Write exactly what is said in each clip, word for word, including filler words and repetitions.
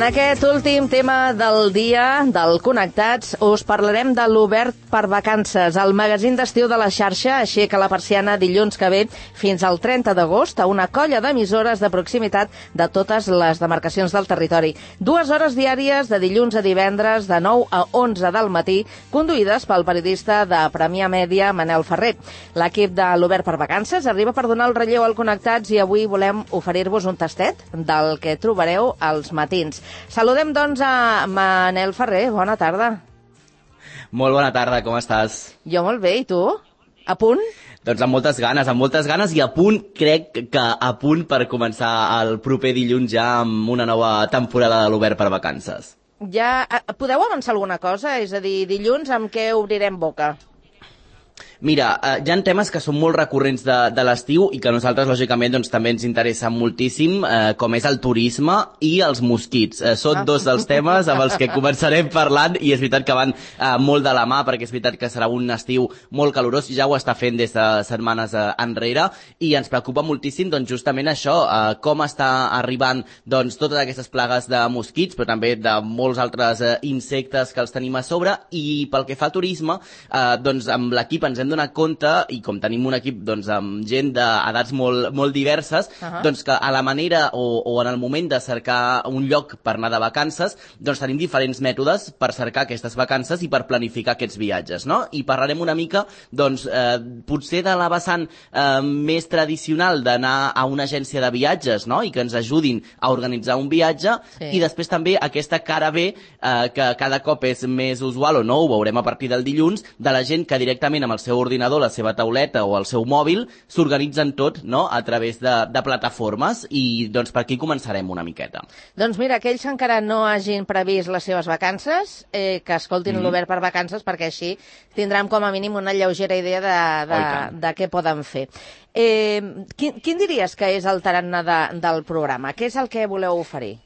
aquest últim tema del dia del Connectats us parlarem de l'Obert per Vacances, el magazín d'estiu de la xarxa aixeca la persiana dilluns que ve fins al trenta d'agost a una colla d'emissores de proximitat de totes les demarcacions del territori. Dues hores diàries de dilluns a divendres de nou a onze del matí, conduïdes pel periodista de Premià Mèdia, Manel Ferrer. L'equip de l'Obert per Vacances arriba per donar el relleu al Connectats i avui volem oferir-vos un tastet del que trobareu als matins. Saludem, doncs, a Manel Ferrer. Bona tarda. Molt bona tarda, com estàs? Jo molt bé, i tu? A punt? Doncs amb moltes ganes, amb moltes ganes i a punt, crec que a punt per començar el proper dilluns ja amb una nova temporada de l'Obert per Vacances. Ja podeu avançar alguna cosa? És a dir, dilluns amb què obrirem boca? Mira, eh, hi ha temes que són molt recurrents de, de l'estiu i que a nosaltres, lògicament, doncs, també ens interessen moltíssim, eh, com és el turisme i els mosquits. Eh, són ah. dos dels temes amb els que començarem parlant i és veritat que van eh, molt de la mà, perquè és veritat que serà un estiu molt calorós, ja ho està fent des de setmanes eh, enrere, i ens preocupa moltíssim, doncs, justament això, eh, com està arribant doncs, totes aquestes plagues de mosquits, però també de molts altres eh, insectes que els tenim a sobre, i pel que fa al turisme, eh, doncs, amb l'equip ens hem donat compte, i com tenim un equip doncs, amb gent d'edats molt, molt diverses, uh-huh. doncs que a la manera o, o en el moment de cercar un lloc per anar de vacances, doncs tenim diferents mètodes per cercar aquestes vacances i per planificar aquests viatges, no? I parlarem una mica, doncs, eh, potser de la vessant eh, més tradicional d'anar a una agència de viatges, no? I que ens ajudin a organitzar un viatge, sí. I després també aquesta cara B, eh, que cada cop és més usual, o no, ho veurem a partir del dilluns, de la gent que directament amb el seu ordinador, la seva tauleta o el seu mòbil s'organitzen tot, no?, a través de, de plataformes, i doncs per aquí començarem una miqueta. Doncs mira, aquells que encara no hagin previst les seves vacances, eh, que escoltin mm-hmm. l'Obert per Vacances, perquè així tindrem com a mínim una lleugera idea de, de, oh, de què poden fer. Eh, quin, quin diries que és el tarannà de, del programa? Què és el que voleu oferir?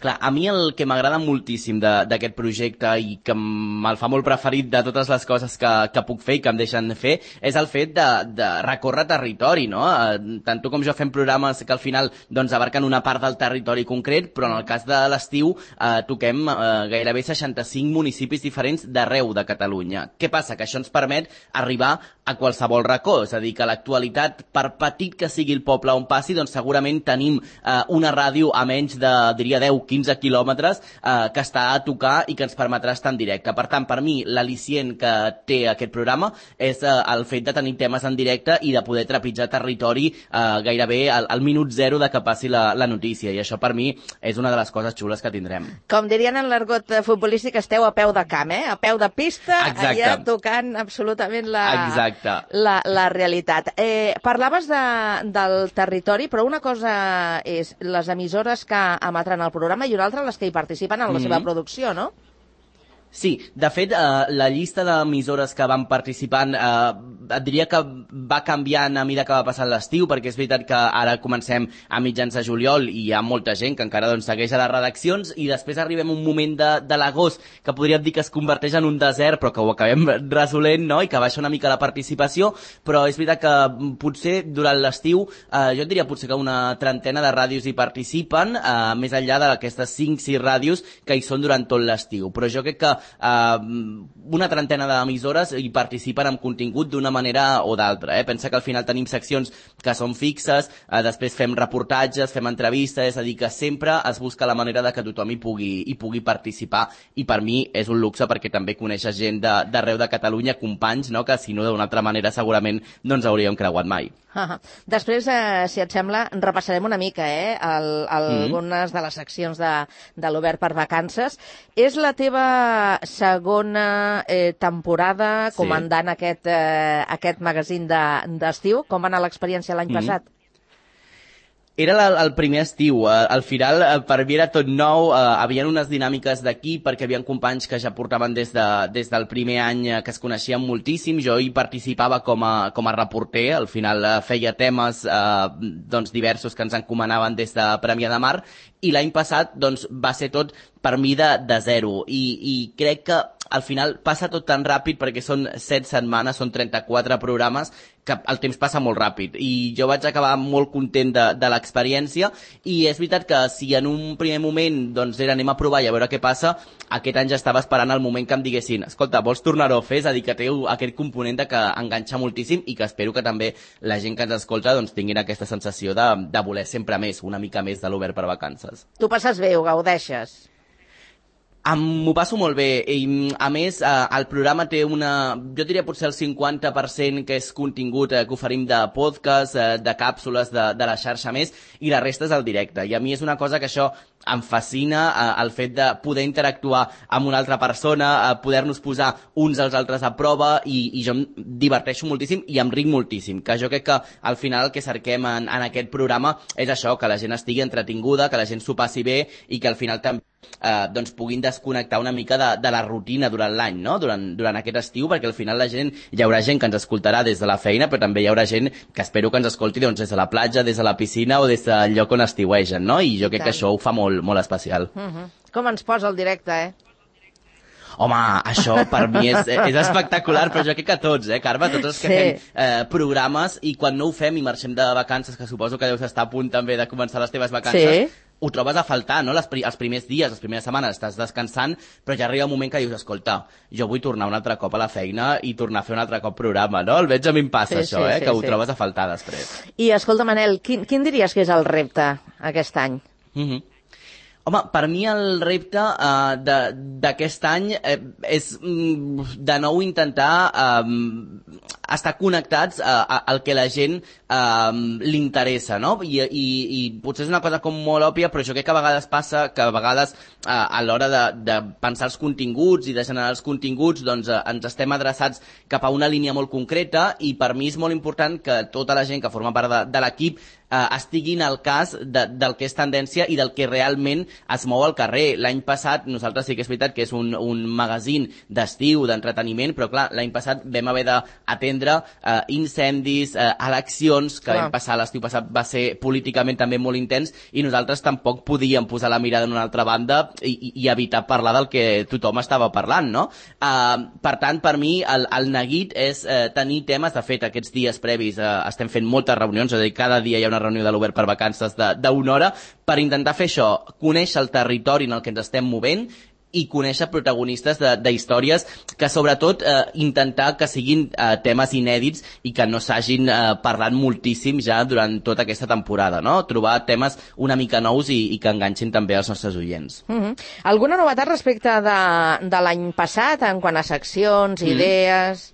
Clar, a mi el que m'agrada moltíssim d'aquest projecte i que me'l fa molt preferit de totes les coses que, que puc fer i que em deixen de fer és el fet de, de recórrer territori, no? Tant tu com jo fem programes que al final doncs, abarquen una part del territori concret, però en el cas de l'estiu eh, toquem eh, gairebé seixanta-cinc municipis diferents d'arreu de Catalunya. Què passa? Que això ens permet arribar a qualsevol racó, és a dir, que a l'actualitat, per petit que sigui el poble on passi, doncs segurament tenim eh, una ràdio a menys de, diria, deu a quinze quilòmetres eh, que està a tocar i que ens permetrà estar en directe. Per tant, per mi, l'al·licient que té aquest programa és eh, el fet de tenir temes en directe i de poder trepitjar territori eh, gairebé al, al minut zero de que passi la, la notícia, i això per mi és una de les coses xules que tindrem. Com dirien en l'argot futbolístic, esteu a peu de camp, eh? A peu de pista, exacte. Allà tocant absolutament la, exacte. la, la realitat. Eh, parlaves de, del territori, però una cosa és les emissores que emetran el programa i una altra les que hi participen en la mm-hmm. seva producció, no? Sí, de fet, eh, la llista d'emissores que van participant eh, et diria que va canviant a mesura que va passant l'estiu, perquè és veritat que ara comencem a mitjans de juliol i hi ha molta gent que encara doncs, segueix a les redaccions, i després arribem a un moment de, de l'agost que podríem dir que es converteix en un desert, però que ho acabem resolent, no?, i que baixa una mica la participació, però és veritat que potser durant l'estiu, eh, jo et diria potser que una trentena de ràdios hi participen, eh, més enllà d'aquestes cinc sis ràdios que hi són durant tot l'estiu, però jo crec que Uh, una trentena d'emissores hi participen amb contingut d'una manera o d'altra, eh? Pensa que al final tenim seccions que són fixes, uh, després fem reportatges, fem entrevistes, és a dir, que sempre es busca la manera de que tothom hi pugui, hi pugui participar, i per mi és un luxe perquè també coneixes gent d'arreu de, de Catalunya, companys, no?, que si no d'una altra manera segurament no ens hauríem creuat mai. Uh-huh. Després, eh, si et sembla, repassarem una mica eh, el, el, mm. algunes de les seccions de, de l'Obert per Vacances. És la teva segona eh, temporada comandant sí. aquest, eh, aquest magazín d'estiu. De, Com va anar l'experiència l'any mm. passat? Era la, el primer estiu, uh, al final uh, per mi era tot nou, uh, havien unes dinàmiques d'aquí perquè havien companys que ja portaven des, de, des del primer any uh, que es coneixien moltíssim, jo hi participava com a, com a reporter, al final uh, feia temes uh, doncs diversos que ens encomanaven des de Premià de Mar, i l'any passat doncs, va ser tot per mi de, de zero. I, I crec que al final passa tot tan ràpid perquè són set setmanes, són trenta-quatre programes, que el temps passa molt ràpid. I jo vaig acabar molt content de, de l'experiència i és veritat que si en un primer moment doncs era anem a provar i a veure què passa, aquest any ja estava esperant el moment que em diguessin escolta, vols tornar-ho a fer? És a dir, que té aquest component de que enganxa moltíssim i que espero que també la gent que ens escolta doncs, tinguin aquesta sensació de, de voler sempre més, una mica més de l'Obert per Vacances. Tu passes bé, ho gaudeixes? M'ho passo molt bé i a més eh, el programa té una, jo diria potser el cinquanta per cent que és contingut eh, que oferim de podcast, eh, de càpsules de, de la xarxa més i la resta és el directe i a mi és una cosa que això em fascina, eh, el fet de poder interactuar amb una altra persona, eh, poder-nos posar uns als altres a prova i, i jo em diverteixo moltíssim i em ric moltíssim, que jo crec que al final el que cerquem en, en aquest programa és això, que la gent estigui entretinguda, que la gent s'ho passi bé i que al final també Eh, doncs puguin desconnectar una mica de, de la rutina durant l'any, no? Durant, durant aquest estiu, perquè al final la gent, hi haurà gent que ens escoltarà des de la feina, però també hi haurà gent que espero que ens escolti doncs, des de la platja, des de la piscina o des del lloc on estiuegen, no? I jo crec que això ho fa molt, molt especial. Uh -huh. Com ens posa el directe, eh? Home, això per mi és, és espectacular, però jo crec que tots, eh, Carme? Tots els que sí. fem eh, programes i quan no ho fem i marxem de vacances, que suposo que deus estar a punt també de començar les teves vacances, sí. ho trobes a faltar, no? Les, els primers dies, les primeres setmanes estàs descansant, però ja arriba un moment que dius, escolta, jo vull tornar un altre cop a la feina i tornar a fer un altre cop programa, no? Almenys a mi em passa sí, això, sí, eh? Sí, que ho sí. trobes a faltar després. I escolta, Manel, quin, quin diries que és el repte aquest any? Mhm. Home, per mi el repte uh, d'aquest any eh, és mm, de nou intentar um, estar connectats uh, al que la gent um, li interessa, no? I, i, I potser és una cosa com molt òbvia, però jo crec que a vegades passa que a vegades uh, a l'hora de, de pensar els continguts i de generar els continguts doncs uh, ens estem adreçats cap a una línia molt concreta i per mi és molt important que tota la gent que forma part de, de l'equip Uh, estiguin al cas de, del que és tendència i del que realment es mou al carrer. L'any passat, nosaltres sí que és veritat que és un, un magazín d'estiu, d'entreteniment, però clar, l'any passat vam haver d'atendre uh, incendis, uh, eleccions, que l'any passat, l'estiu passat va ser políticament també molt intens i nosaltres tampoc podíem posar la mirada en una altra banda i, i evitar parlar del que tothom estava parlant, no? Uh, per tant, per mi, el, el neguit és uh, tenir temes. De fet, aquests dies previs uh, estem fent moltes reunions, és a dir, cada dia hi ha una reunió de l'Obert per Vacances d'una hora per intentar fer això, conèixer el territori en el que ens estem movent i conèixer protagonistes d'històries que sobretot eh, intentar que siguin eh, temes inèdits i que no s'hagin eh, parlat moltíssim ja durant tota aquesta temporada, no? Trobar temes una mica nous i, i que enganxin també els nostres oients. Uh -huh. Alguna novetat respecte de, de l'any passat en quant a seccions, mm. idees?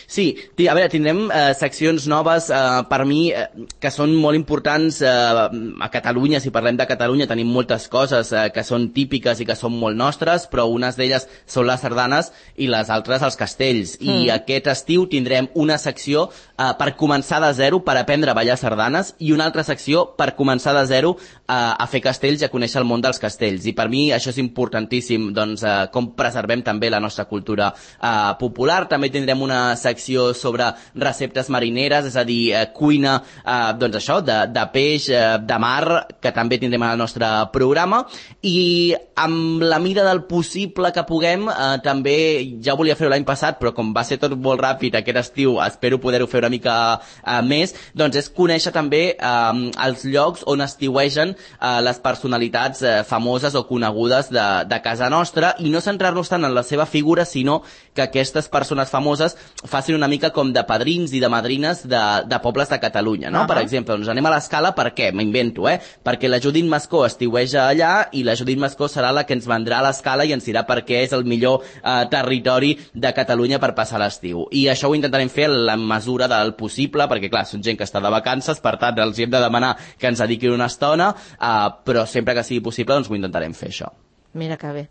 Sí, a veure, tindrem eh, seccions noves eh, per mi eh, que són molt importants eh, a Catalunya. Si parlem de Catalunya tenim moltes coses eh, que són típiques i que són molt nostres, però unes d'elles són les sardanes i les altres els castells. Mm. I aquest estiu tindrem una secció eh, per començar de zero, per aprendre a ballar sardanes, i una altra secció per començar de zero eh, a fer castells i a conèixer el món dels castells. I per mi això és importantíssim, doncs, eh, com preservem també la nostra cultura eh, popular. També tindrem una secció sobre receptes marineres, és a dir, eh, cuina, eh, doncs això, de, de peix, eh, de mar, que també tindrem al nostre programa, i amb la mida del possible que puguem, eh, també, ja ho volia fer l'any passat, però com va ser tot molt ràpid aquest estiu, espero poder-ho fer una mica eh, més, doncs és conèixer també eh, els llocs on estiuegen eh, les personalitats eh, famoses o conegudes de, de casa nostra, i no centrar-nos tant en la seva figura, sinó que aquestes persones famoses facin una mica com de padrins i de madrines de, de pobles de Catalunya, no? Uh -huh. Per exemple, doncs anem a l'Escala, per què? M'invento, eh? Perquè la Judit Mascó estiueja allà i la Judit Mascó serà la que ens vendrà a l'Escala i ens dirà per què és el millor eh, territori de Catalunya per passar l'estiu. I això ho intentarem fer en la mesura del possible, perquè clar, són gent que està de vacances, per tant els hem de demanar que ens dediquin una estona, eh, però sempre que sigui possible doncs ho intentarem fer, això. Mira que bé.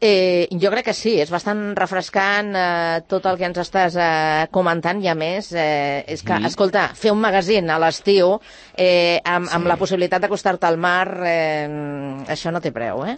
Eh, jo crec que sí, és bastant refrescant eh, tot el que ens estàs eh, comentant, i a més eh, és que, mm. escolta, fer un magazín a l'estiu eh, amb, sí. amb la possibilitat d'acostar-te al mar, eh, això no té preu, eh?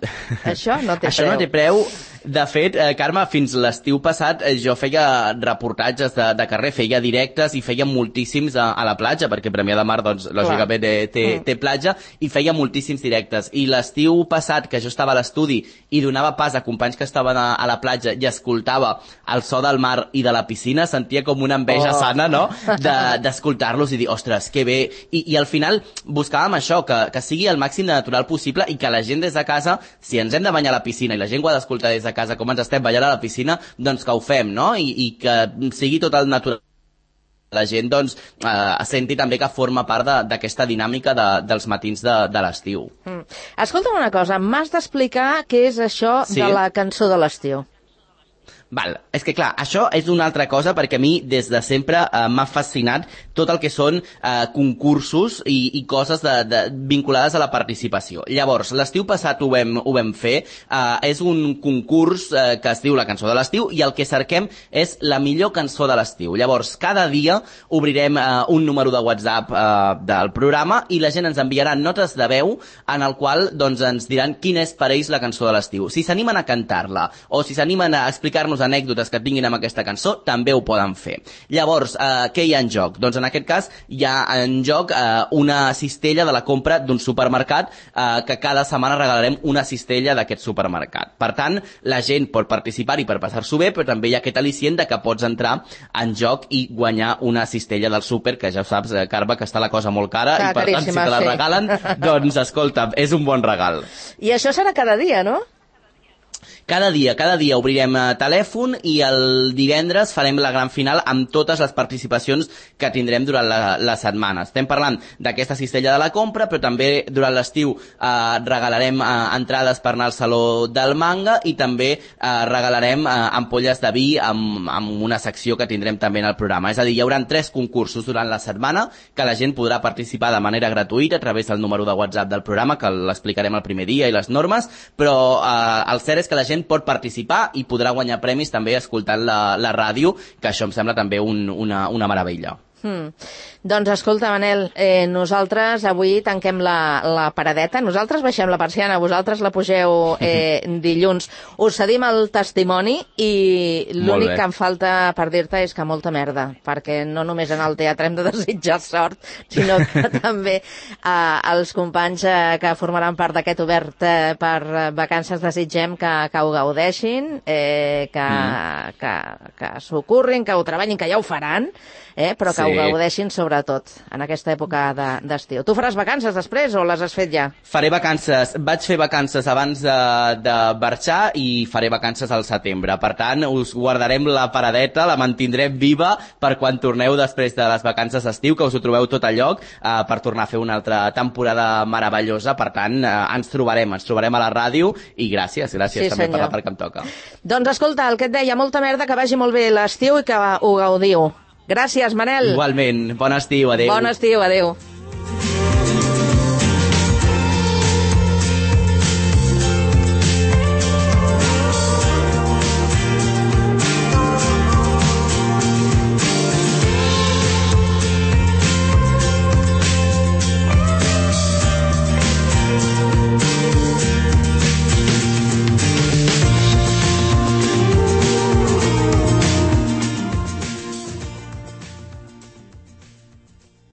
Això no té això preu. no té preu, De fet, eh, Carme, fins l'estiu passat eh, jo feia reportatges de, de carrer, feia directes i feia moltíssims a, a la platja, perquè Premià de Mar, doncs, lògicament té, té, té platja, i feia moltíssims directes. I l'estiu passat, que jo estava a l'estudi i donava pas a companys que estaven a, a la platja i escoltava el so del mar i de la piscina, sentia com una enveja oh. sana, no?, d'escoltar-los de, i dir, ostres, que bé. I, i al final buscàvem això, que, que sigui el màxim de natural possible i que la gent des de casa, si ens hem de banyar a la piscina i la gent ho ha d'escoltar des de casa com ens estem ballant a la piscina, doncs que ho fem, no? I, i que sigui tot el natural. La gent, doncs, eh, senti també que forma part d'aquesta dinàmica de, dels matins de, de l'estiu. Mm. Escolta'm una cosa, m'has d'explicar què és això sí? de la cançó de l'estiu. Val, és que clar, això és una altra cosa perquè a mi des de sempre eh, m'ha fascinat tot el que són eh, concursos i, i coses de, de, vinculades a la participació. Llavors, l'estiu passat ho vam, ho vam fer, eh, és un concurs eh, que es diu la cançó de l'estiu i el que cerquem és la millor cançó de l'estiu. Llavors, cada dia obrirem eh, un número de WhatsApp eh, del programa i la gent ens enviarà notes de veu en el qual doncs, ens diran quina és per ells la cançó de l'estiu. Si s'animen a cantar-la o si s'animen a explicar-nos anècdotes que tinguin amb aquesta cançó, també ho poden fer. Llavors, eh, què hi ha en joc? Doncs en aquest cas hi ha en joc eh, una cistella de la compra d'un supermercat eh, que cada setmana regalarem una cistella d'aquest supermercat. Per tant, la gent pot participar-hi per passar-s'ho bé, però també hi ha aquest al·licient de que pots entrar en joc i guanyar una cistella del súper, que ja ho saps, eh, Carme, que està la cosa molt cara, Clar, i per tant, si te la sí. regalen, doncs escolta, és un bon regal. I això serà cada dia, no? Cada dia, cada dia obrirem eh, telèfon i el divendres farem la gran final amb totes les participacions que tindrem durant la, la setmana. Estem parlant d'aquesta cistella de la compra, però també durant l'estiu eh, regalarem eh, entrades per anar al Saló del Manga i també eh, regalarem eh, ampolles de vi amb, amb una secció que tindrem també en el programa. És a dir, hi haurà tres concursos durant la setmana que la gent podrà participar de manera gratuïta a través del número de WhatsApp del programa, que l'explicarem el primer dia i les normes, però eh, el cert és que la gent pot participar i podrà guanyar premis també escoltant la, la ràdio, que això em sembla també un, una, una meravella. Hmm. Doncs escolta, Manel, eh, nosaltres avui tanquem la, la paradeta, nosaltres baixem la persiana, vosaltres la pugeu eh, dilluns. Us cedim el testimoni i l'únic que em falta per dir-te és que molta merda, perquè no només en el teatre hem de desitjar sort, sinó que també eh, els companys eh, que formaran part d'aquest obert eh, per vacances desitgem que, que ho gaudeixin, eh, que, mm. que, que s'ho currin, que ho treballin, que ja ho faran, eh, però que sí. ho gaudeixin sobretot en aquesta època d'estiu. De, tu faràs vacances després o les has fet ja? Faré vacances. Vaig fer vacances abans de, de marxar i faré vacances al setembre. Per tant, us guardarem la paradeta, la mantindrem viva per quan torneu després de les vacances d'estiu, que us ho trobeu tot a lloc eh, per tornar a fer una altra temporada meravellosa. Per tant, eh, ens trobarem, ens trobarem a la ràdio i gràcies, gràcies sí, també senyor. per la part que em toca. Doncs escolta, el que et deia, molta merda, que vagi molt bé l'estiu i que ho gaudiu. Gràcies, Manel. Igualment. Bon estiu, adéu. Bon estiu, adéu.